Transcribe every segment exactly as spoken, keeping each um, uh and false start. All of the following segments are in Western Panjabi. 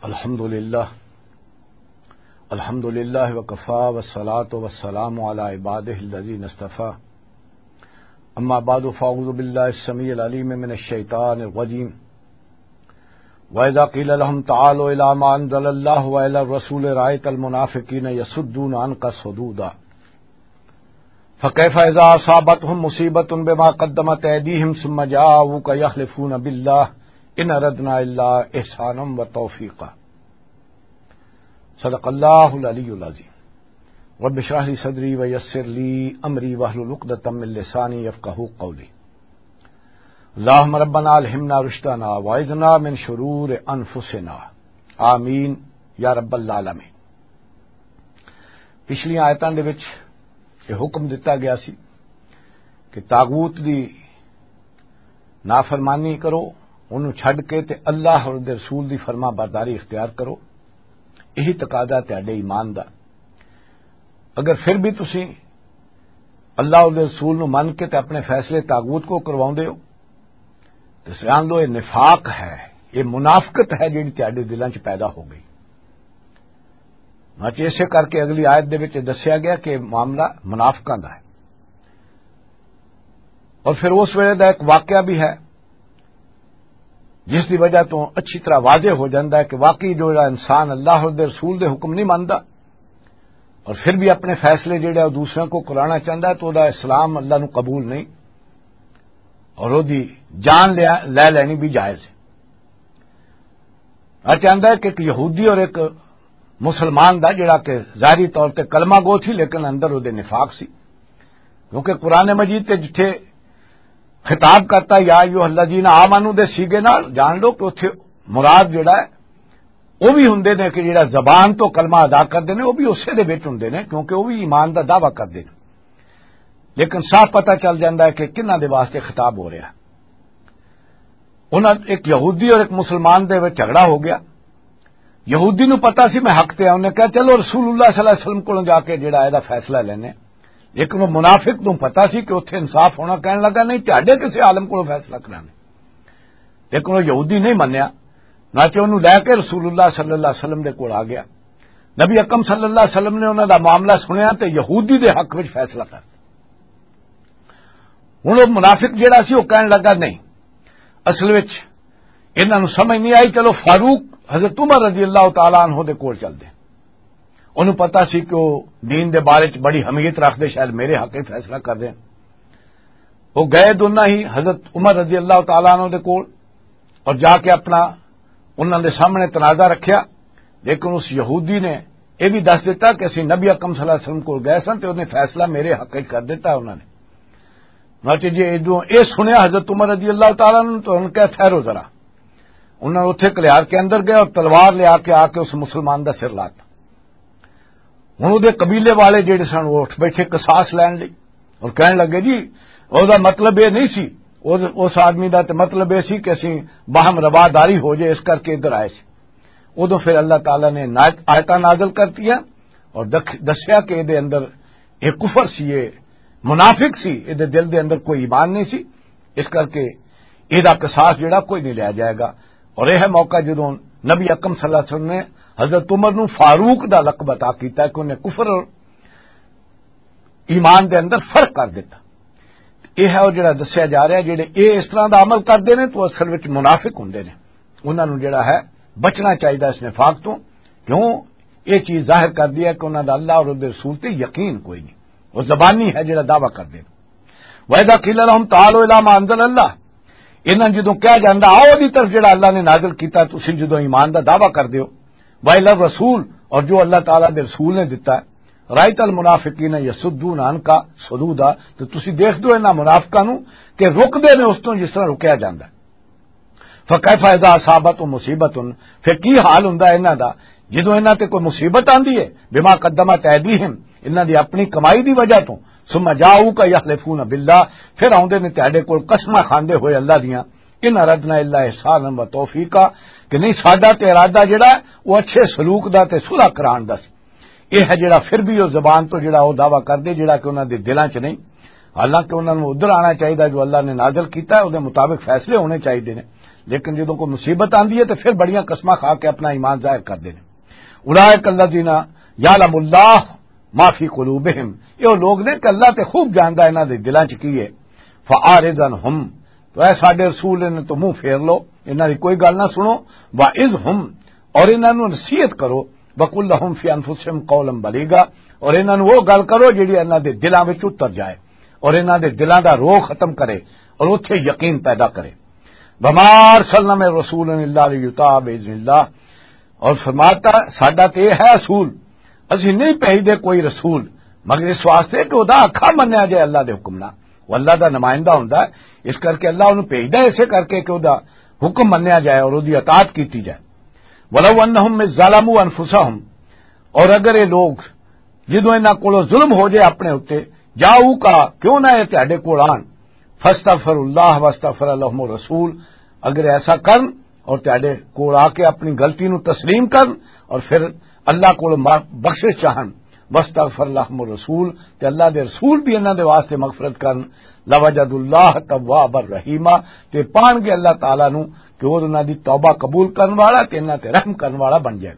الحمد لله. الحمد لله وكفى والصلاة والسلام على عباده الذين اصطفى. أما بعد فأعوذ بالله السميع العليم من الشيطان الرجيم. وإذا قيل لهم تعالوا إلى ما أنزل الله وإلى الرسول رأيت المنافقين يصدون عنك صدودا. فكيف إذا أصابتهم مصيبة بما قدمت أيديهم ثم جاءوك يحلفون بالله إن أردنا إلا إحسانا وتوفيقا. صدق الله العلي العظيم. رب اشرح لي صدري ويسر لي أمري واحلل عقدة من لساني يفقهوا قولي. اللهم ربنا ألهمنا رشدنا وأعذنا من شرور أنفسنا. آمين يا رب العالمين. پچھلیاں آیتاں دے وچ یہ حکم دتا گیا سی کہ طاغوت دی نافرمانی کرو، انہوں چھڈ کے تے اللہ اور دے رسول دی فرما برداری اختیار کرو۔ یہی تقاضا تہاڈے ایمان دا۔ اگر پھر بھی تسی اللہ اور دے رسول نو من کے تے اپنے فیصلے طاغوت کو کرواؤندے ہو، تے سمجھ لو یہ نفاق ہے، یہ منافقت ہے جڑی تہاڈے دلاں چ پیدا ہو گئی۔ ہاں، تے اسے کر کے اگلی آیت دے وچ دسیا گیا کہ معاملہ منافقاں دا ہے۔ اور پھر اس ویلے دا ایک واقعہ بھی ہے جس دی وجہ تو اچھی طرح واضح ہو جاتا ہے کہ واقعی جو انسان اللہ اور دے رسول دے حکم نہیں مانتا اور پھر بھی اپنے فیصلے جڑے وہ دوسروں کو کرانا چاہتا ہے تو دا اسلام اللہ نو قبول نہیں، اور وہ دی جان لے لینی بھی جائز ہے۔ آ چاہتا ہے کہ ایک یہودی اور ایک مسلمان دا جڑا کہ ظاہری طور تے کلمہ گو تھی، لیکن اندر وہ دے نفاق سی، کیونکہ قرآن مجید تے جتھے خطاب کرتا یا ایھا الذین آمنو دے سیگے نال، جان لو کہ اتھے مراد جڑا ہے وہ بھی ہوندے نے کہ جڑا زبان تو کلمہ ادا کردے نے، وہ بھی اسے دے وچ ہوندے نے، کیونکہ وہ بھی ایمان دا دعویٰ کردے نے۔ لیکن صاف پتہ چل جاندا ہے کہ کنہاں دے واسطے خطاب ہو رہا ہے۔ انہاں، ایک یہودی اور ایک مسلمان دے وچ جھگڑا ہو گیا۔ یہودی نو پتا سی میں حق تے ہاں، انہیں کہا، "چلو رسول اللہ صلی اللہ علیہ وسلم کولوں جا کے جڑا ہے دا فیصلہ لینے۔" لیکن وہ منافق نو پتا سی کہ اتھے انصاف ہونا، کہن لگا، "نہیں، تہاڈے کسے عالم کولوں فیصلہ کرانے۔" لیکن وہ یہودی نہیں منیا، نہ کہ انہوں لے کے رسول اللہ صلی اللہ علیہ وسلم دے کول آ گیا۔ نبی اکرم صلی اللہ علیہ وسلم نے انہاں دا معاملہ سنیا تے یہودی دے حق وچ فیصلہ کر۔ ہن وہ منافق جڑا سی، وہ کہن لگا، "نہیں، اصل وچ انہاں نوں سمجھ نہیں آئی، چلو فاروق حضرت عمر رضی اللہ تعالیٰ عنہ دے کول چلدے۔" انہوں پتا سی کہ وہ دین دے بارے چ بڑی اہمیت رکھدے، شاید میرے حق وچ فیصلہ کر دین۔ وہ گئے دونوں ہی حضرت عمر رضی اللہ تعالیٰ عنہ دے کول اور جا کے اپنا انہاں دے سامنے تنازع رکھیا، لیکن اس یہودی نے یہ بھی دس دیتا کہ اسی نبی اکرم صلی اللہ علیہ وسلم کول گئے سن تے انہیں فیصلہ میرے حق وچ کر دیتا انہاں نے۔ مطلب جی، جدوں یہ سنیا حضرت عمر رضی اللہ تعالیٰ عنہ تو انہوں نے کہا، "ٹھہرو ذرا۔" انہوں نے اتھے کلیار کے اندر گئے اور تلوار لے آ کے، آ کے اس مسلمان دا سر لاتا۔ ہن اودے قبیلے والے جڑے سن، وہ اٹھ بیٹھے قصاص لین لئی اور کہن لگے، "جی، اودہ مطلب یہ نہیں سی، اس آدمی دا تے مطلب یہ سی کہ اسی باہم رواداری ہو جائے، اس کر کے ادھر آئے سی۔" ادھر پھر اللہ تعالیٰ نے آیتاں نازل کرتی ہیں اور دسیا کہ ادھر اندر ایک کفر سی، یہ منافق سی، ادھر دل دے اندر کوئی ایمان نہیں سی، اس کر کے ایہدا قصاص جڑا کوئی نہیں لیا جائے گا۔ اور یہ ہے موقع جدوں نبی اکرم صلی اللہ علیہ وسلم نے حضرت عمر نو فاروق دا لقب عطا کیتا کہ انہیں کفر اور ایمان دے اندر فرق کر دیتا۔ یہ ہے وہ جڑا دسیا جا رہا ہے، جڑے یہ اس طرح دا عمل کردے نے تو اصل وچ منافق ہوندے نے۔ انہاں نو جڑا ہے بچنا چاہیے اس نفاق تو، کیوں؟ یہ چیز ظاہر کر دی ہے کہ انہاں دا اللہ اور اس دے رسول تے یقین کوئی نہیں، وہ زبانی ہے جڑا دعویٰ کردے نے۔ وَإِذَا قِيلَ لَهُمْ تَعَالَوْا إِلَىٰ مَا أَنزَلَ اللَّهُ، انہاں جدوں کہا جاندا، "آؤ دی طرف جڑا اللہ نے نازل کیتا ہے، تسی جدوں ایمان دا دعویٰ کر دیو، وَإِلَى الرَّسُولِ، اور جو اللہ تعالیٰ دے رسول نے دتا ہے، رَأَيْتَ الْمُنَافِقِينَ يَصُدُّونَ عَنْكَ صُدُودًا"، تو تسی دیکھ دو انہاں منافقاں نو کہ رک دے نے اس تو جس طرح رکیا جاندا ہے۔ فَكَيْفَ إِذَا أَصَابَتْهُمْ مُصِيبَةٌ، پھر کی حال ہوندا ہے انہاں دا جدوں انہاں تے کوئی مصیبت آندی ہے، بِمَا قَدَّمَتْ أَيْدِيهِمْ، انہاں دی اپنی کمائی دی وجہ تو، ثُمَّ جَاءُوكَ يَحْلِفُونَ بِاللَّهِ، پھر آوندے نے تہاڈے کول قسماں کھاندے ہوئے اللہ دیاں، "إِنْ أَرَدْنَا إِلَّا إِحْسَانًا وَتَوْفِيقًا"، کہ نہیں ساڈا تے ارادہ جڑا ہے وہ اچھے سلوک دا تے صلح کران دا سی۔ یہ ہے جڑا پھر بھی وہ زبان تو جڑا وہ دعویٰ کردے جڑا کہ انہاں دے دلاں چ نہیں، حالانکہ انہاں نوں ادھر آنا چاہیدا جو اللہ نے نازل کیتا ہے، اودے مطابق فیصلے ہونے چاہیدے نے۔ لیکن جدوں کوئی مصیبت آندی ہے تو پھر بڑیاں قسماں کھا کے اپنا ایمان ظاہر کردے نے۔ اولئک الذین یعلم اللہ ما فی قلوبہم، یہ وہ لوگ نے کہ اللہ تے خوب جاندا انہاں دے دلاں چ کی ہے۔ فاعرض عنہم، تو اے ساڈے رسول، انہاں تو منہ پھیر لو، انہاں دی کوئی گل نہ سنو۔ واعظہم، اور انہاں نوں نصیحت کرو۔ وقل لہم فی انفسہم قولا بلیغا، اور انہاں نوں وہ گل کرو جڑی انہاں دے دلاں وچ اتر جائے اور انہاں دے دلاں دا روح ختم کرے اور اتھے یقین پیدا کرے۔ وما ارسلنا من رسول الا لیطاع باذن اللہ، اور فرماتا، ساڈا تے یہ ہے اصول، اسی نہیں بھیجدے کوئی رسول مگر اس واسطے کہ وہ آکھا منیا جائے اللہ دے حکم نال۔ وہ اللہ دا نمائندہ ہوندا ہے، اس کر کے اللہ انہوں بھیجدا ہے، اسے کر کے کہ وہ حکم منیا جائے اور وہ اطاعت کیتی جائے۔ ولو انہم اذ ظلموا انفسہم، اور اگر یہ لوگ جدوں انہاں کولوں ظلم ہو جائے اپنے اُتے، جاؤکا، کیوں نہ یہ تہاڈے کول آن، فاستغفر اللہ واستغفر لهم الرسول، اگر ایسا کرن اور تہاڈے کول آ کے اپنی غلطی نو تسلیم کرن اور پھر اللہ کول ما-، بخشش چاہن، واستغفر لهم الرسول، تے اللہ دے رسول بھی انہاں دے واسطے مغفرت کرن، لوجد اللہ توابا رحیما، تے پان گے اللہ تعالیٰ نو کہ وہ انہاں دی توبہ قبول کرن والا تے انہاں تے رحم کرن والا بن جائے۔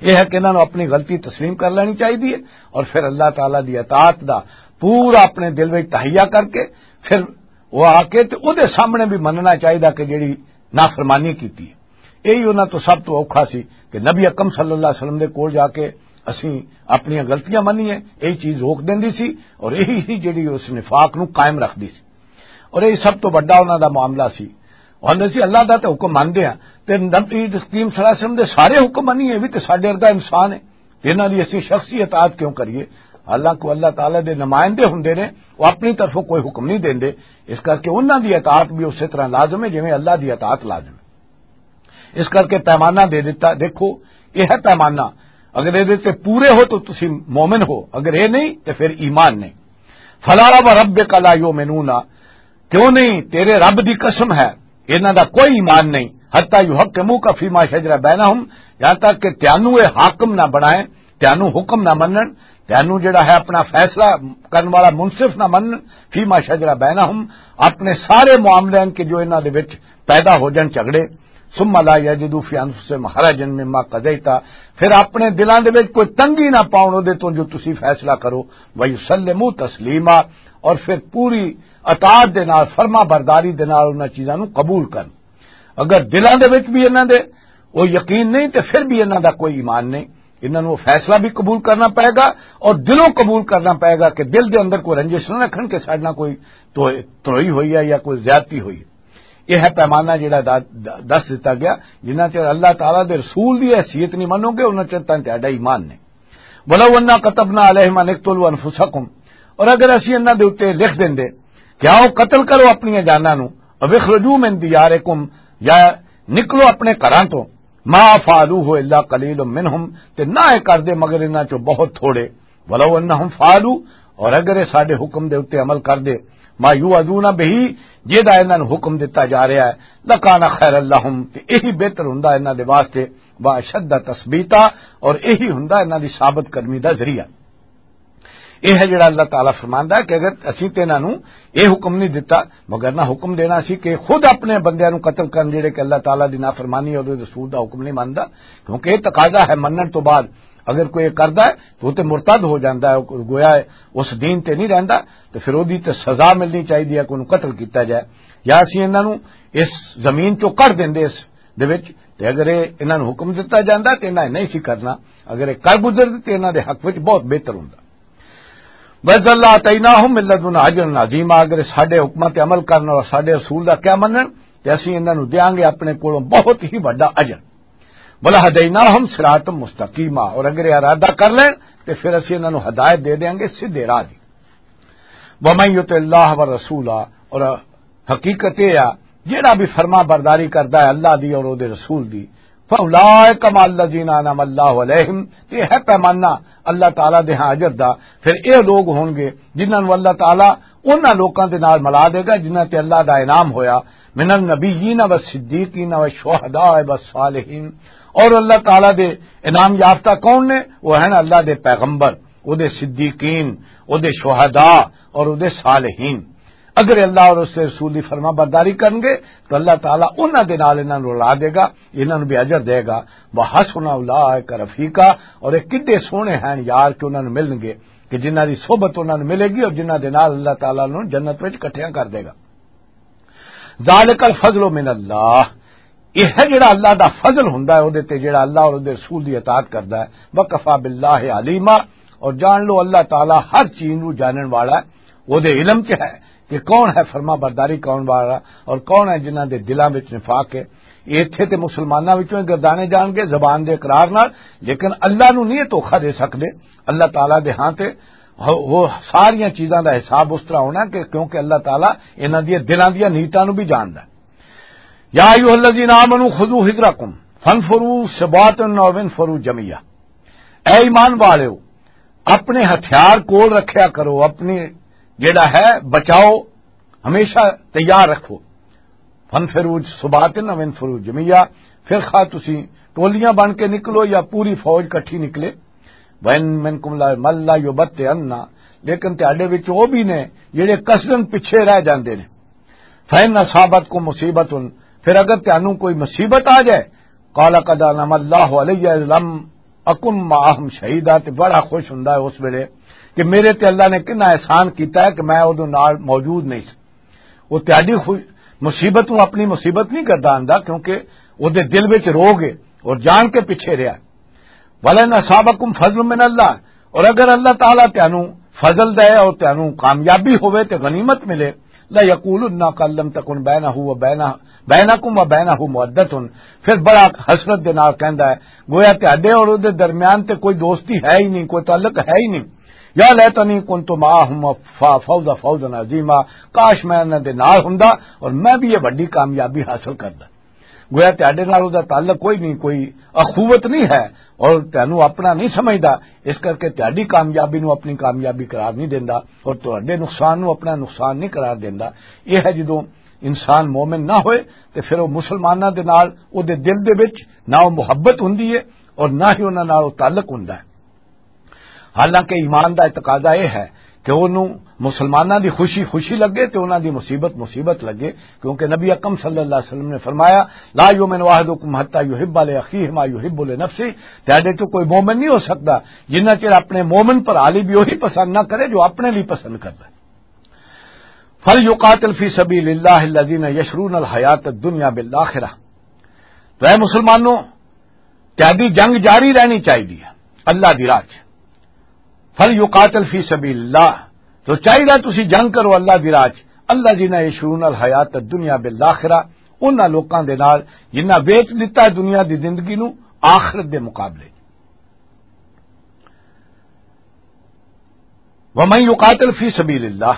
یہ ہے کہ انہاں نوں اپنی غلطی تسلیم کر لینی چاہیے اور پھر اللہ تعالیٰ دی اطاعت دا پورا اپنے دل وچ تہیہ کر کے پھر وہ آ کے تے اودے سامنے بھی مننا چاہیے کہ جڑی نافرمانی کیتی ہے۔ یہی انہاں تو سب تو اوکھا سی کہ نبی اکرم صلی اللہ علیہ وسلم دے کول جا کے اسی اپنی غلطیاں منیے، یہی چیز روک دیندی سی اور یہی ہی جڑی اس نفاق نوں قائم رکھدی سی۔ اور یہ سب تو بڑا انہاں دا معاملہ سی۔ اور اسی اللہ دا تے حکم مندے ہاں، تے نبی کریم صلی اللہ علیہ وسلم دے سارے حکم منیے، یہ بھی تے ساڈے ورگا انسان ہے، تے انہاں دی اسی شخصی اطاعت کیوں کریے؟ حالانکہ اللہ تعالیٰ دے نمائندے ہوندے نے، وہ اپنی طرفوں کوئی حکم نہیں دیندے، اس کر کے انہاں دی اطاعت بھی اسی طرح لازم ہے جویں اللہ دی اطاعت لازم ہے۔ اس کر کے پیمانہ دے دیتا۔ دیکھو، یہ ہے پیمانہ، اگر یہ تے پورے ہو تو تسی مومن ہو، اگر یہ نہیں تو پھر ایمان نہیں۔ فلا وربک لا یؤمنون، کیوں نہیں؟ تیرے رب دی قسم ہے، انہاں دا کوئی ایمان نہیں۔ حتی یحکموک فیما شجر بینہم، یہاں تک کہ تینوں اے حاکم نہ بنائیں، تینوں حکم نہ منن، تینوں جڑا ہے اپنا فیصلہ کرن والا منصف نہ منن، فیما شجر بینہم، اپنے سارے معاملے کے جو انہاں دے وچ پیدا ہو جان جھگڑے۔ ثم لا یجدوا فی انفسہم حرجا مما قضیت، پھر اپنے دلاں دے وچ کوئی تنگی نہ پاؤن اودے تو جو تسی فیصلہ کرو، ویسلموا تسلیما، اور پھر پوری اطاعت دے نال، فرما برداری دے نال انہاں چیزاں نوں قبول کرن۔ اگر دلاں دے وچ بھی انہاں دے وہ یقین نہیں تے پھر بھی انہاں دا کوئی ایمان نہیں۔ انہاں نوں وہ فیصلہ بھی قبول کرنا پائے گا اور دلوں قبول کرنا پائے گا کہ دل دے اندر کوئی رنجش نہ رکھن کہ ساڈے نال کوئی تو-، تروئی ہوئی ہے یا کوئی زیادتی ہوئی ہے۔ یہ ہے پیمانہ جڑا دا-، دا-، دس دتا گیا، جنہ چر اللہ تعالیٰ دے رسول دی حیثیت نہیں منو گے، انہاں چر تاں تہاڈا ایمان نہیں۔ ولو انا كتبنا عليهم ان اقتلوا انفسكم، اور اگر اسی انہاں دے اُتے لکھ دیندے کہ آؤ قتل کرو اپنی جاناں نو، او اخرجوا من دياركم، یا نکلو اپنے گھراں تو، ما فعلوه الا قليل منهم، تے نہ اے کردے مگر انہاں چوں بہت تھوڑے۔ ولو انہم فعلوا، اور اگر اے ساڈے حکم دے اُتے عمل کردے، ما یوعظون به، جیدا انہاں نوں حکم دتا جا رہا ہے، لکان خیرا لهم، تے یہی بہتر ہوندا انہاں دے واسطے، واشد تثبیتا، اور یہی ہوندا انہاں دی ثابت قدمی دا ذریعہ۔ یہ ہے جڑا اللہ تعالیٰ فرماندا ہے کہ اگر اسی تے انہاں نوں یہ حکم نہیں دتا، مگر نہ حکم دینا سی کہ خود اپنے بندیاں نوں قتل کرن جڑے کہ اللہ تعالیٰ دی نافرمانی اور رسول دا حکم نہیں مندا، کیونکہ یہ تقاضا ہے منن تو بعد۔ اگر کوئی یہ کردا ہے تو وہ تے مرتد ہو جاندا ہے، گویا ہے اس دین تے نہیں رہندا، تو پھر اودی تے سزا ملنی چاہیے ہے کہ انہوں قتل کیتا جائے، یا اسی انہاں نوں اس زمین چوں کڈ دیندے اس دے وچ، تے اگر یہ انہاں نوں حکم دتا جاندا تے انہاں نے نہیں سی کرنا، اگر یہ کر گزردے تے انہاں دے حق وچ بہت بہتر ہوندا۔ وَإِذًا لَآتَيْنَاهُم مِّن لَّدُنَّا أَجْرًا عَظِيمًا، اگر ساڈے حکماں تے عمل کرن اور ساڈے رسول دا کیا منن تے اسی انہاں نوں دیاں گے اپنے کولوں بہت ہی وڈا اجر۔ وَلَهَدَيْنَاهُمْ صِرَاطًا مُّسْتَقِيمًا، اور اگر یہ ارادہ کر لین تے پھر اسی انہاں نوں ہدایت دے دیاں گے سیدھے راہ دی۔ وَمَن يُطِعِ اللَّهَ وَالرَّسُولَ، اور حقیقت یہ ہے، جڑا بھی فرما برداری کردا ہے اللہ دی اور او دے رسول دی، فَأُولَٰئِكَ مَعَ الَّذِينَ أَنْعَمَ اللَّهُ عَلَيْهِمْ، یہ ہے پیمانہ اللہ تعالیٰ دے ہاں اجر دا۔ پھر اے لوگ ہون گے جنہاں نوں اللہ تعالیٰ انہاں لوکاں دے نال ملا دے گا جنہاں تے اللہ دا انعام ہویا، مِنَ النَّبِيِّينَ وَالصِّدِّيقِينَ وَالشُّهَدَاءِ وَالصَّالِحِينَ۔ اور اللہ تعالیٰ دے انعام یافتہ کون نے؟ وہ ہیں اللہ دے پیغمبر، او دے صدیقین، او دے شہداء اور او دے صالحین۔ اگر اللہ اور اس کے رسول دی فرما برداری کرن گے تو اللہ تعالیٰ انہاں دے نال انہاں نوں رلا دے گا، انہاں نوں بھی اجر دے گا۔ وَحَسُنَ أُولَٰئِكَ رَفِيقًا، اور یہ کڈے سوہنے ہیں یار کہ انہاں نوں ملن گے، کہ جنہاں دی صحبت انہاں نوں ملے گی اور جنہاں دے نال اللہ تعالیٰ نوں جنت وچ اکٹھیاں کر دے گا۔ ذَٰلِكَ الْفَضْلُ مِنَ اللَّهِ، یہ ہے جڑا اللہ دا فضل ہوندا ہے اودے تے، جڑا اللہ اور اودے رسول دی اطاعت کردا ہے۔ وَكَفَىٰ بِاللَّهِ عَلِيمًا، اور جان لو اللہ تعالیٰ ہر چیز نوں جانن والا ہے، اودے علم چ ہے کہ کون ہے فرما برداری کون والا اور کون ہے جنہاں دے دلاں وچ نفاق ہے۔ یہ اتھے تے مسلماناں وچوں ہی گردانے جان گے زبان دے اقرار نال، لیکن اللہ نوں نہیں یہ دھوکھا دے سکدے۔ اللہ تعالیٰ دے ہاں تے وہ ساریاں چیزاں دا حساب اس طرح ہونا کہ کیونکہ اللہ تعالیٰ انہاں دیاں دلاں دیاں نیتاں نوں بھی جاندا ہے۔ یا ایھا الذین آمنوا خذوا حذرکم فانفروا ثبات او انفروا جمیعا۔ اے ایمان والےو، اپنے ہتھیار کول رکھیا کرو، اپنی جڑا ہے بچاؤ، ہمیشہ تیار رکھو۔ فانفروا ثبات او انفروا جمیعا، پھر خواہ تسی ٹولیاں بن کے نکلو یا پوری فوج کٹھی نکلے۔ وَإِن مِّنكُمْ لَمَن لَّيُبَطِّئَنَّ، لیکن تہاڈے وچ او بھی نے جڑے قصدن پیچھے رہ جاندے نے۔ فَإِنْ أَصَابَتْكُم مُّصِيبَةٌ، پھر اگر تانوں کوئی مصیبت آ جائے، قَالَ قَدْ أَنْعَمَ اللَّهُ عَلَيَّ إِذْ لَمْ أَكُن مَّعَهُمْ شَهِيدًا، تے بڑا خوش ہوندا ہے اس ویلے کہ میرے تے اللہ نے کتنا احسان کیتا ہے کہ میں اودوں نال موجود نہیں سی۔ وہ تہاڈی خوش-، مصیبت نوں اپنی مصیبت نہیں گرداندا، کیونکہ اودے دل وچ روگ ہے اور جان کے پیچھے رہیا۔ وَلَئِنْ أَصَابَكُمْ فَضْلٌ مِّنَ اللَّهِ، اور اگر اللہ تعالیٰ تانوں فضل دے اور تانوں کامیابی ہوئے تے غنیمت ملے، لَيَقُولُنَّ كَأَن لَّمْ تَكُن بَيْنَهُ وَبَيْنَهُ، بَيْنَكُمْ وَبَيْنَهُ مَوَدَّةٌ، پھر بڑا حسرت دے نال کہندا ہے، گویا تہاڈے اور اودے درمیان تے کوئی دوستی ہے ہی نہیں، کوئی تعلق ہے ہی نہیں۔ يَا لَيْتَنِي كُنتُ مَعَهُمْ فَأَفُوزَ فَوْزًا عَظِيمًا، کاش میں انہاں دے نال ہوندا اور میں بھی یہ وڈی کامیابی حاصل کردا۔ گویا تہاڈے نال اودے تعلق کوئی نہیں، کوئی اخوت نہیں ہے اور تہانوں اپنا نہیں سمجھدا، اس کر کے تہاڈی کامیابی نوں اپنی کامیابی قرار نہیں دیندا اور تہاڈے نقصان نوں اپنا نقصان نہیں قرار دیندا۔ یہ ہے جدوں انسان مومن نہ ہوئے تے پھر وہ مسلماناں دے نال اودے دل دے وچ نہ وہ محبت ہوندی ہے اور نہ ہی انہاں نال وہ تعلق ہوندا ہے۔ حالانکہ ایمان دا تقاضا یہ ہے کہ انہوں مسلماناں دی خوشی خوشی لگے تے انہاں دی مصیبت مصیبت لگے، کیونکہ نبی اکرم صلی اللہ علیہ وسلم نے فرمایا، لا یؤمن احدکم حتی یحب لاخیہ ما یحب لنفسہ، تہاڈے چوں کوئی مومن نہیں ہو سکدا جنہ چر اپنے مومن پر علی بھی وہی پسند نہ کرے جو اپنے لیے پسند کردا ہے۔ فلیقاتل فی سبیل اللہ الذین یشرون الحیات الدنیا بالآخرہ، تو اے مسلمانوں، تہاڈی جنگ جاری رہنی چاہیے اللہ دی راہ چ۔ فل یقاتل فی سبیل اللہ، تو چاہیے تسی جنگ کرو اللہ دی راہ چ۔ اللہ جنہ یشرون الحیات الدنیا بالآخرہ، انہاں لوکاں دے نال جنہاں ویچ دتا ہے دنیا دی زندگی نو آخرت دے مقابلے۔ ومن یقاتل فی سبیل اللہ،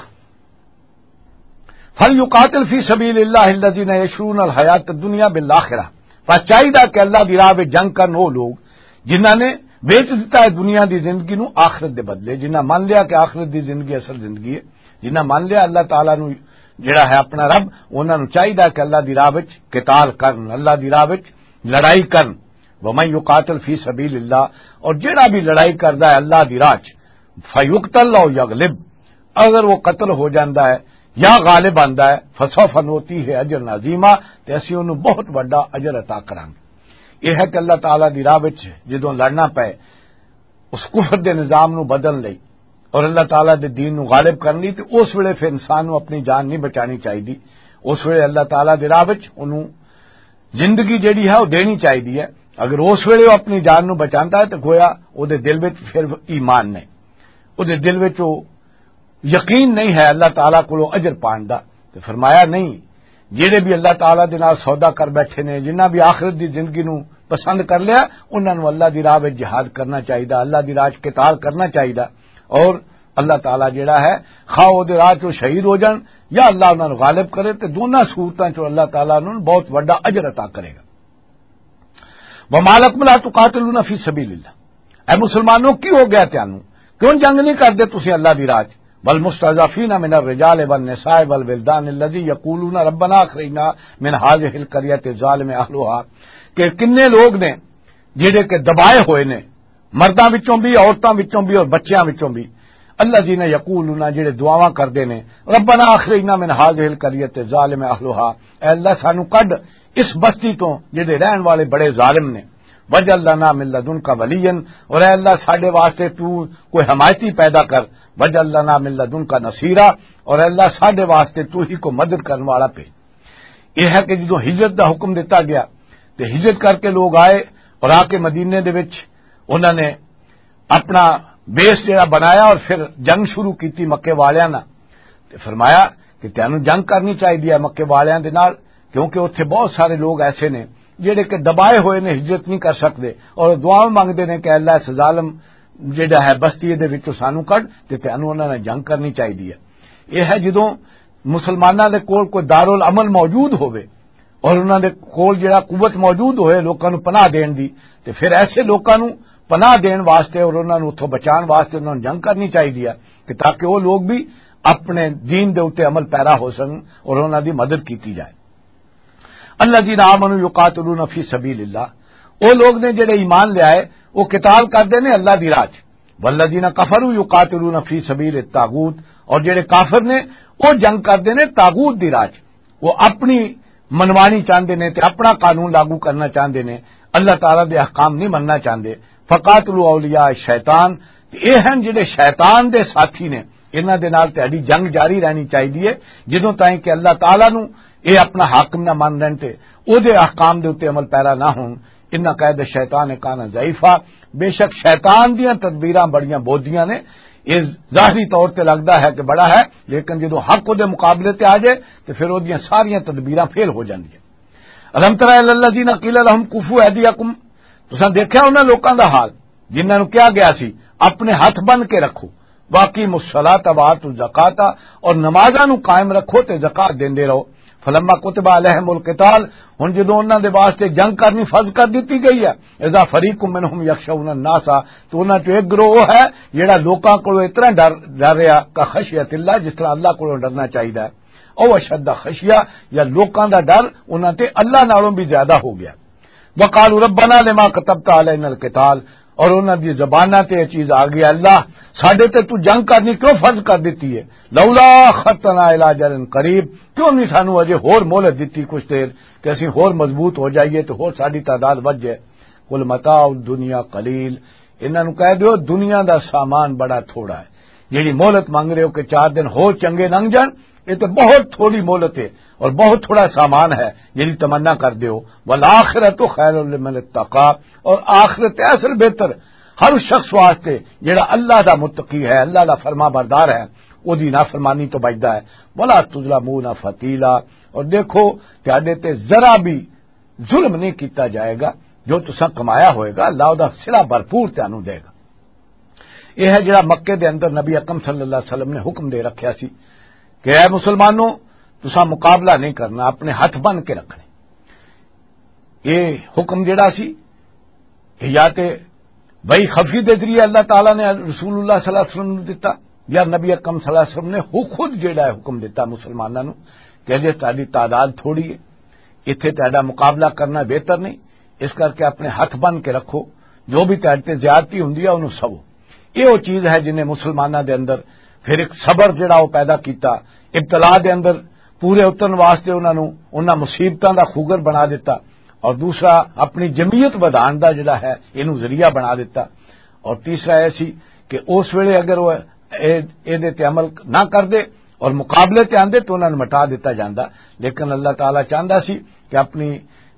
فل یقاتل فی سبیل اللہ الذین یشرون الحیات الدنیا بالآخرہ۔ بس چاہیدا کہ اللہ دی راہ وچ جنگ کرن او لوگ جنہاں نے ویچ دتا ہے دنیا دی زندگی نو آخرت دے بدلے، جنہاں مان لیا کہ آخرت دی زندگی اصل زندگی ہے، جنہاں مان لیا اللہ تعالیٰ نو جڑا ہے اپنا رب، انہاں نو چاہیدا کہ اللہ دی راہ وچ قتال کرن، اللہ دی راہ وچ لڑائی کرن۔ ومن یقاتل فی سبیل اللہ، اور جڑا بھی لڑائی کردا ہے اللہ دی راہ چ، فیقتل او یغلب، اگر وہ قتل ہو جاندا ہے یا غالب آندا ہے، فسوف نؤتیہ اجرا عظیما، تے اسی انہوں بہت وڈا اجر عطا کرانگے۔ یہ ہے کہ اللہ تعالیٰ دی راہ وچ جدوں لڑنا پے، اس کفر دے نظام نو بدلن لئی اور اللہ تعالیٰ دے دین نو غالب کرن لئی، تے اس ویلے پھر انسان نو اپنی جان نہیں بچانی چاہیے۔ اس ویلے اللہ تعالیٰ دے راہ وچ انہوں زندگی جیڑی ہے، وہ دینی چاہیے ہے۔ اگر اس ویلے وہ اپنی جان نو بچاندا ہے، تو گویا وہ دے دل وچ پھر ایمان نہیں، وہ دے دل وچ وہ یقین نہیں ہے اللہ تعالیٰ کولوں اجر پان دا۔ تے فرمایا نہیں، جڑے بھی اللہ تعالیٰ دے نال سودا کر بیٹھے نے، جنہ بھی آخرت دی زندگی نو پسند کر لیا، انہاں نو اللہ دی راہ وچ جہاد کرنا چاہیے، اللہ دی راہ وچ قتال کرنا چاہیے۔ اور اللہ تعالیٰ جڑا ہے، خواہ او دے راہ چوں شہید ہو جان یا اللہ انہاں نو غالب کرے، تے دونوں صورتاں چوں اللہ تعالیٰ انہاں نو بہت وڈا اجر عطا کرے گا۔ وما لکم لا تقاتلون فی سبیل اللہ، اے مسلمانوں، کی ہو گیا تانوں؟ کیوں جنگ نہیں کردے تسی اللہ دی راہ چ؟ والمستضعفین من الرجال والنساء والولدان الذی یقولون ربنا اخرجنا من هذه القرية الظالم اهلها، کہ کنے لوگ نے جڑے کہ دبائے ہوئے نے، مرداں وچوں بھی، عورتاں وچوں بھی اور بچیاں وچوں بھی، الذین یقولون، جڑے دعاواں کردے نے، "ربنا اخرجنا من هذه القرية الظالم اهلها"، اے اللہ، سانو کڈ اس بستی تو جڑے رہن والے بڑے ظالم نے۔ "واجعل لنا من لدنک ولیا"، اور اے اللہ، ساڈے واسطے تو کوئی حمایتی پیدا کر۔ "واجعل لنا من لدنک نصیرا"، اور اے اللہ، ساڈے واسطے تو ہی کوئی مدد کرن والا پے۔ یہ ہے کہ جدوں ہجرت دا حکم دتا گیا تے ہجرت کر کے لوگ آئے اور آ کے مدینے دے وچ انہاں نے اپنا بیس جڑا بنایا اور پھر جنگ شروع کیتی مکے والیاں نال۔ تے فرمایا کہ تینوں جنگ کرنی چاہیے ہے مکے والیاں دے نال، کیونکہ اتھے بہت سارے لوگ ایسے نے جڑے کہ دبائے ہوئے نے، ہجرت نہیں کر سکتے اور دعا منگتے نے کہ اللہ، اس ظالم جڑا ہے بستی دے وچوں سانو کڈ، تے تینوں انہاں نال جنگ کرنی چاہیے ہے۔ یہ ہے جدوں مسلماناں دے کول کوئی دارالعمل موجود ہوئے اور انہاں دے کول جڑا قوت موجود ہوئے لوکاں نوں پناہ دین دی، تے پھر ایسے لوکاں نوں پناہ دین واسطے اور انہاں نوں اتھوں بچان واسطے انہاں نوں جنگ کرنی چاہیے ہے کہ تاکہ وہ لوگ بھی اپنے دین دے اُتے عمل پیرا ہو سکن اور انہاں دی مدد کیتی جائے۔ الذین آمنوا یقاتلون فی سبیل اللہ، وہ لوگ نے جڑے ایمان لے آئے، وہ قتال کردے نے اللہ دی راہ چ۔ والذین کفروا یقاتلون فی سبیل الطاغوت، اور جڑے کافر نے، وہ جنگ کردے نے طاغوت دی راہ چ۔ وہ اپنی منوانی چاہندے نے تے اپنا قانون لاگو کرنا چاہندے نے، اللہ تعالیٰ دے احکام نہیں مننا چاہندے۔ فقاتلوا اولیاء الشیطان، تے اے ہن جڑے شیطان دے ساتھی نے، انہاں دے نال تہاڈی جنگ جاری رہنی چاہیے، جدوں تائیں کہ اللہ تعالیٰ نو اے اپنا حاکم نہ من لین تے او دے احکام دے اُتے عمل پیرا نہ ہون۔ ان قید الشیطان کان ضعیفا، بے شک شیطان دیاں تدبیراں بڑیاں بودیاں نے۔ یہ ظاہری طور تے لگدا ہے کہ بڑا ہے، لیکن جدوں حق او دے مقابلے تے آ جائے تے پھر او دیاں ساریاں تدبیراں فیل ہو جاندیاں۔ الم تر الی الذین قیل لهم کفوا ایدیکم، تساں دیکھیا انہاں لوکاں دا حال جنہاں نوں کہا گیا سی اپنے ہاتھ بن کے رکھو، واقیموا الصلاۃ و آتوا الزکاۃ، اور نمازاں نوں قائم رکھو تے زکات دیندے رہو۔ فلما کتب علیہم القتال، ہن جدوں انہاں دے واسطے جنگ کرنی فرض کر دتی گئی ہے، اذا فریق منہم یخشون الناس، تو انہاں چوں ایک گروہ وہ ہے جڑا لوکاں کولوں اتنا ڈر، ڈر رہا، کا خشیت اللہ، جس طرح اللہ کولوں ڈرنا چاہیدا ہے، او اشد خشیہ، یا لوکاں دا ڈر انہاں تے اللہ نالوں بھی زیادہ ہو گیا۔ وقالوا ربنا لما كتبت علينا القتال، اور انہاں دی زباناں تے یہ چیز آ گئی، "اللہ، ساڈے تے تو جنگ کرنی کیوں فرض کر دتی ہے؟ لولا اخرتنا الى اجل قریب، کیوں نہیں سانو اجے ہور مہلت دتی کچھ دیر کہ اسی ہور مضبوط ہو جائیے تے ہور ساڈی تعداد ودھ جائے؟" قل متاع الدنیا قلیل، انہاں نوں کہہ دیو، دنیا دا سامان بڑا تھوڑا ہے۔ جیڑی مہلت منگ رہے ہو کہ چار دن ہور چنگے لنگ جان، یہ تے بہت تھوڑی مہلت ہے اور بہت تھوڑا سامان ہے، جیڑی تمنا کر دیو۔ والآخرۃ خیر لمن اتقی، اور آخرت ہے اصل بہتر ہر شخص واسطے جیڑا اللہ دا متقی ہے، اللہ دا فرما بردار ہے، او دی نافرمانی تو بچدا ہے۔ ولا تظلمون فتیلا، اور دیکھو، تہاڈے تے ذرا بھی ظلم نہیں کیتا جائے گا، جو تساں کمایا ہوئے گا، اللہ دا صلہ بھرپور تانوں دے گا۔ یہ ہے جڑا مکے دے اندر نبی اکرم صلی اللہ علیہ وسلم نے حکم دے رکھیا سی کہ اے مسلمانوں، تساں مقابلہ نہیں کرنا، اپنے ہاتھ بن کے رکھنے۔ یہ حکم جڑا سی، یہ یا تے وحی خفی دے ذریعے اللہ تعالیٰ نے رسول اللہ صلی اللہ علیہ وسلم نوں دتا، یا نبی اکرم صلی اللہ علیہ وسلم نے ہو خود جڑا ہے حکم دتا مسلماناں نوں کہ جے تہاڈی تعداد تھوڑی ہے، ایتھے تہاڈا مقابلہ کرنا بہتر نہیں، اس کر کے اپنے ہاتھ بن کے رکھو، جو بھی تہاڈے تے زیادتی ہوندی ہے انہوں سوو۔ یہ وہ چیز ہے جنہیں مسلماناں دے اندر پھر ایک صبر جڑا وہ پیدا کیتا، ابتلا دے اندر پورے اترن واسطے انہاں نوں، انہاں مصیبتاں دا خوگر بنا دیتا، اور دوسرا اپنی جمعیت ودھان دا جڑا ہے اینوں ذریعہ بنا دیتا، اور تیسرا یہ سی کہ اس ویلے اگر وہ اے، اے دے تے عمل نہ کردے اور مقابلے تے آندے تو انہاں نوں مٹا دیتا جاندا، لیکن اللہ تعالیٰ چاہندا سی کہ اپنی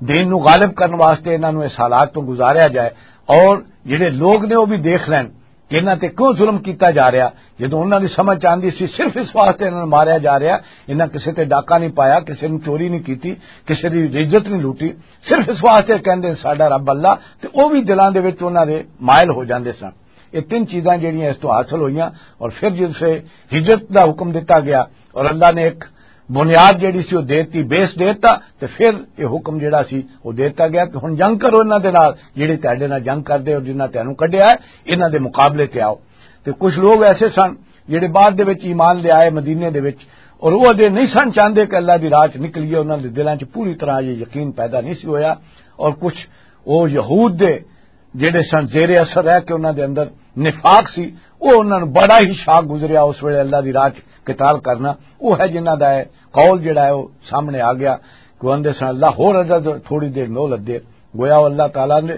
دین نوں غالب کرن واسطے انہاں نوں اس حالات تو گزاریا جائے، اور جڑے لوگ نے وہ بھی دیکھ لین کہ انہاں تے کیوں ظلم کیتا جا رہا۔ جدوں انہاں دی سمجھ آندی سی صرف اس واسطے انہاں نوں ماریا جا رہا، انہاں کسے تے ڈاکہ نہیں پایا، کسے نوں چوری نہیں کیتی، کسے دی عزت نہیں لوٹی، صرف اس واسطے کہندے ساڈا رب اللہ، تے او بھی دلاں دے وچ انہاں دے مائل ہو جاندے سن۔ یہ تین چیزاں جڑیاں اس تو حاصل ہوئیاں، اور پھر جس سے ہجرت دا حکم دیتا گیا اور اللہ نے ایک بنیاد جڑی سی وہ دیتی، بیس دیتا، تے پھر یہ حکم جڑا سی وہ دیتا گیا کہ ہن جنگ کرو انہاں دے نال، جڑے تہاڈے نال جنگ کردے اور جنہاں تینوں کڈیا ہے، انہاں دے مقابلے تے آؤ۔ تے کچھ لوگ ایسے سن جڑے بعد دے وچ ایمان لے آئے مدینے دے وچ، اور وہ اجے نہیں سن چاہندے کہ اللہ دی راہ چ نکلیے، انہاں دے دلاں چ پوری طرح یہ یقین پیدا نہیں سی ہویا۔ اور کچھ وہ یہود دے جڑے سن زیر اثر رہ کے انہاں دے اندر نفاق سی، وہ انہاں نوں بڑا ہی شاک گزریا اس ویلے اللہ دی راہ چ قتال کرنا۔ وہ ہے جنہاں دا ہے قول جڑا ہے وہ سامنے آ گیا کہ وہ آندے سن، "اللہ ہور اجازت، تھوڑی دیر مہلت دے۔" گویا وہ اللہ تعالیٰ نے،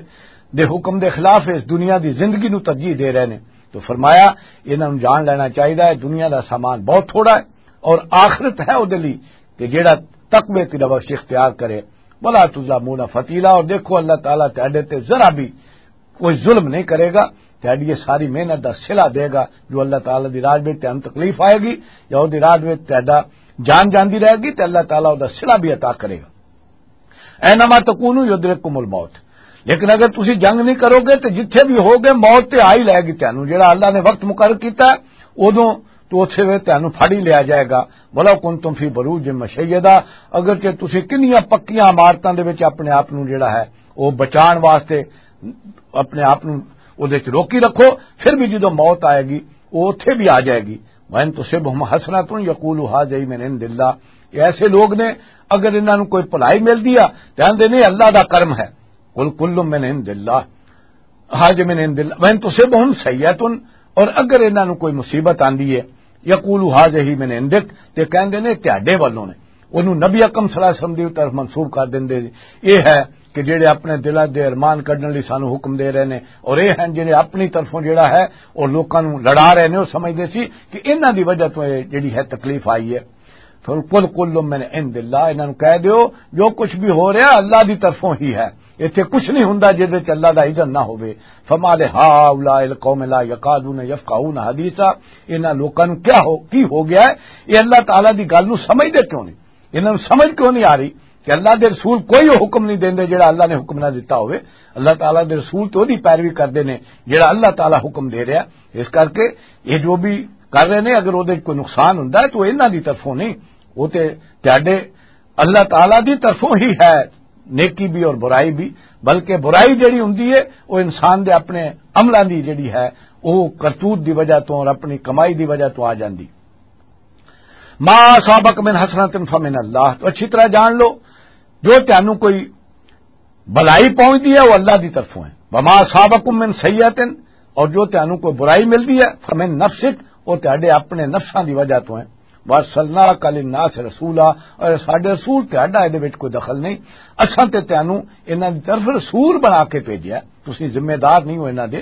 دے حکم دے خلاف اس دنیا دی زندگی نوں ترجیح دے رہے نے۔ تو فرمایا، انہاں نوں جان لینا چاہیدا ہے، دنیا دا سامان بہت تھوڑا ہے اور آخرت ہے او دے لئی کہ جیڑا تقوی تے بخش اختیار کرے۔ "ولا تظلمون فتیلا"، اور دیکھو اللہ تعالیٰ تہاڈے تے ذرا بھی کوئی ظلم نہیں کرے گا، تہاڈی یہ ساری محنت دا صلہ دے گا۔ جو اللہ تعالیٰ دی راہ وچ تہانوں تکلیف آئے گی یا او دی راہ وچ تہاڈا جان جاندی رہے گی تے اللہ تعالیٰ او دا صلہ بھی عطا کرے گا۔ "اینما تکونو یدرککم الموت"، لیکن اگر تسی جنگ نہیں کرو گے تے جتھے بھی ہوگے موت تے آ ہی لے گی تہانوں۔ جڑا اللہ نے وقت مقرر کیتا ہے، اودوں تو اتھے وے تہانوں پھڑ ہی لیا جائے گا۔ "ولو کنتم فی بروج مشیدہ"، اگرچہ تسی کنیاں پکیاں عمارتاں دے وچ اپنے آپ نوں جڑا ہے او بچان واسطے اپنے آپ نوں اودے وچ روکی رکھو، پھر بھی جدوں موت آئے گی، او اتھے بھی آ جائے گی۔ "وَإِن تُصِبْهُمْ حَسَنَةٌ يَقُولُوا هَٰذِهِ مِنْ عِنْدِ اللَّهِ"، یہ ایسے لوگ نے، اگر انہاں نوں کوئی بھلائی ملدی آ تے آندے نے، "اللہ دا کرم ہے"۔ "قُلْ كُلٌّ مِنْ عِنْدِ اللَّهِ، هَٰذَا مِنْ عِنْدِ اللَّهِ"، "وَإِن تُصِبْهُمْ سَيِّئَةٌ"، اور اگر انہاں نوں کوئی مصیبت آندی ہے، "يَقُولُوا هَٰذِهِ مِنْ عِنْدِكَ"، تے کہندے نے، "تہاڈے ولوں نے"۔ اونوں نبی اکرم صلی اللہ علیہ وسلم دی طرف منسوب کر دیندے۔ یہ ہے کہ جڑے اپنے دلاں دے ارمان کڈن لئی سانوں حکم دے رہے نے، اور یہ ہیں جڑے اپنی طرفوں جڑا ہے اور لوکاں نوں لڑا رہے نے، وہ سمجھدے سی کہ انہاں دی وجہ تو یہ جڑی ہے تکلیف آئی ہے۔ "فَقُلْ كُلٌّ مِنْ عِنْدِ اللَّهِ"، انہاں نوں کہہ دیو، جو کچھ بھی ہو رہا اللہ دی طرفوں ہی ہے، ایتھے کچھ نہیں ہوندا جس وچ اللہ دا اذن نہ ہوے۔ "فَمَا لِهَٰؤُلَاءِ الْقَوْمِ لَا يَكَادُونَ يَفْقَهُونَ حَدِيثًا"، انہاں لوکاں نوں کیا ہو، کی ہو گیا ہے؟ یہ اللہ تعالیٰ دی گل نوں سمجھدے کیوں نہیں؟ انہاں نوں سمجھ کیوں نہیں آ رہی کہ اللہ دے رسول کوئی حکم نہیں دیندے جڑا اللہ نے حکم نہ دیتا ہوئے؟ اللہ تعالیٰ دے رسول تو دی پیروی کردے نے جڑا اللہ تعالیٰ حکم دے رہا۔ اس کر کے یہ جو بھی کر رہے نے، اگر وہ کوئی نقصان ہوندا ہے تو انہاں دی طرفوں نہیں، وہ تے تہاڈے اللہ تعالیٰ دی طرفوں ہی ہے، نیکی بھی اور برائی بھی۔ بلکہ برائی جڑی ہوندی ہے، وہ انسان دے اپنے عملاں دی جڑی ہے، وہ کرتوت دی وجہ تو اور اپنی کمائی دی وجہ تو آ جاندی۔ "ما اصابک من حسنۃ فمن اللہ"، تو اچھی طرح جان لو، جو تانوں کوئی بھلائی پہنچدی ہے، وہ اللہ دی طرفوں ہے۔ "وما اصابکم من سیئۃ"، اور جو تانوں کوئی برائی ملدی ہے، "فمن نفسک"، وہ تہاڈے اپنے نفساں دی وجہ تو ہے۔ "وارسلناک للناس رسولا"، اور ساڈے رسول تہاڈا اے دے وچ کوئی دخل نہیں۔ اساں تے تانوں انہاں دی طرف رسول بنا کے بھیجیا، تسی ذمہ دار نہیں ہو انہاں دے،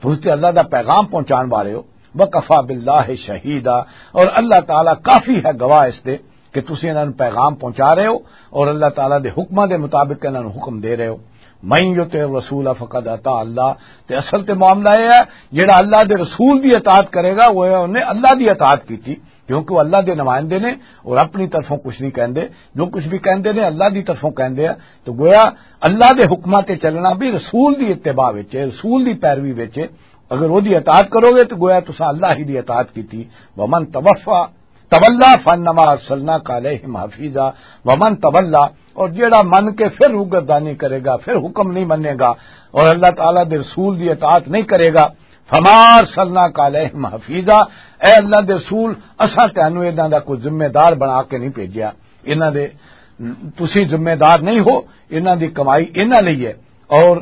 تسی تے اللہ دا پیغام پہنچان والے ہو۔ "وکفی باللہ شہیدا"، اور اللہ تعالیٰ کافی ہے گواہ اس دے کہ تسی انہاں نوں پیغام پہنچا رہے ہو اور اللہ تعالیٰ دے حکماں دے مطابق انہاں نوں حکم دے رہے ہو۔ "من یطع الرسول فقد اطاع اللہ"، تے اصل تے معاملہ یہ ہے، جڑا اللہ دے رسول دی اطاعت کرے گا، وہ انہیں اللہ دی اطاعت کیتی، کیونکہ وہ اللہ دے نمائندے نے اور اپنی طرفوں کچھ نہیں کہندے، جو کچھ بھی کہندے نے اللہ دی طرفوں کہندے ہیں۔ تو گویا اللہ دے حکماں تے چلنا بھی رسول دی اتباع وچ ہے، رسول دی پیروی وچ ہے۔ اگر وہ دی اطاعت کرو گے تو گویا تساں اللہ ہی دی اطاعت کیتی۔ "ومن توفا تولا فانما ارسلناک علیہم حفیظا"، "ومن تولا"، اور جیڑا من کے پھر روگردانی کرے گا، پھر حکم نہیں منے گا اور اللہ تعالیٰ دے رسول دی اطاعت نہیں کرے گا، "فما ارسلناک علیہم حفیظا"، اے اللہ دے رسول، اساں تانوں انہاں دا کوئی ذمہ دار بنا کے نہیں بھیجیا، انہاں دے تسی ذمہ دار نہیں ہو، انہاں دی کمائی انہاں لئی ہے، اور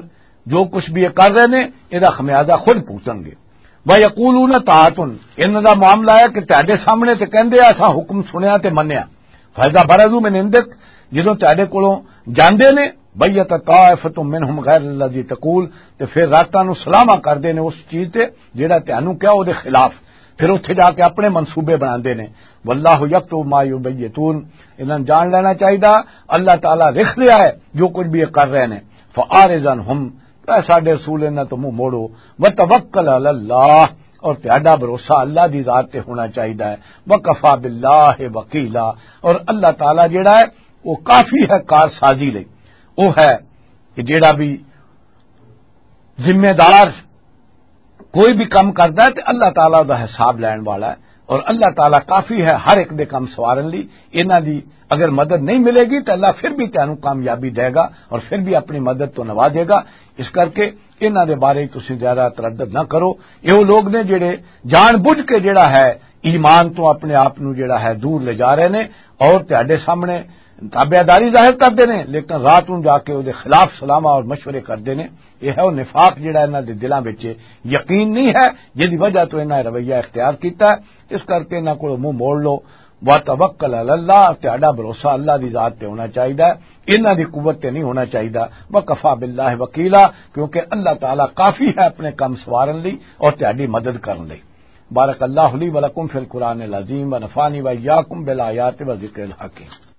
جو کچھ بھی یہ کر رہے نے، یہ خمیازہ خود بھگتن گے۔ "وَيَقُولُونَ طَاعَةٌ"، انہاں دا معاملہ ہے کہ تہاڈے سامنے تے کہندے آ، "اساں حکم سنیا تے منیا۔" "فَإِذَا بَرَزُوا مِنْ عِنْدِكَ"، جدوں تہاڈے کولوں جاندے نے، "بَيَّتَ طَائِفَةٌ مِنْهُمْ غَيْرَ الَّذِي تَقُولُ"، تے پھر راتاں نوں سلاما کردے نے اس چیز تے جڑا تہانوں کیا او دے خلاف، پھر اتھے جا کے اپنے منصوبے بناندے نے۔ "وَاللَّهُ يَكْتُبُ مَا يُبَيِّتُونَ"، انہاں نوں جان لینا چاہیدا، اللہ تعالیٰ لکھ رہا ہے جو کچھ بھی یہ کر رہے نے۔ "فَأَعْرِضْ عَنْهُمْ"، اے ساڈے رسول، انہاں تو منہ موڑو۔ "وَتَوَكَّلْ عَلَى اللَّهِ"، اور تہاڈا بھروسہ اللہ دی ذات تے ہونا چاہیدا ہے۔ "وَكَفَىٰ بِاللَّهِ وَكِيلًا"، اور اللہ تعالیٰ جڑا ہے وہ کافی ہے کار سازی لئی۔ وہ ہے کہ جڑا بھی ذمہ دار کوئی بھی کم کردا ہے تے اللہ تعالیٰ دا حساب لین والا ہے، اور اللہ تعالیٰ کافی ہے ہر ایک دے کم سوارن لی۔ انہاں دی اگر مدد نہیں ملے گی تو اللہ پھر بھی تانوں کامیابی دے گا اور پھر بھی اپنی مدد تو نوازے گا۔ اس کر کے انہاں دے بارے تسی زیادہ تردد نہ کرو۔ یہ وہ لوگ نے جڑے جان بوجھ کے جڑا ہے ایمان تو اپنے آپ نو جڑا ہے دور لے جا رہے نے، اور تہاڈے سامنے تابعداری ظاہر کردے نے، لیکن رات نوں جا کے او دے خلاف سلاماں اور مشورے کردے نے۔ یہ ہے وہ نفاق جڑا انہاں دے دلاں وچ یقین نہیں ہے، جس دی وجہ تو انہاں رویہ اختیار کیتا ہے۔ اس کر کے انہاں کولوں منہ موڑ لو۔ وتوکل علی اللہ، تہاڈا بھروسہ اللہ دی ذات تے ہونا چاہیدا ہے، انہاں دی قوت تے نہیں ہونا چاہیدا۔ وکفی باللہ وکیلا، کیونکہ اللہ تعالیٰ کافی ہے اپنے کم سوارن لئی اور تہاڈی مدد کرن لئی۔ بارک اللہ لی ولکم فی القرآن العظیم ونفعنی وإیاکم بالآیات والذکر الحکیم۔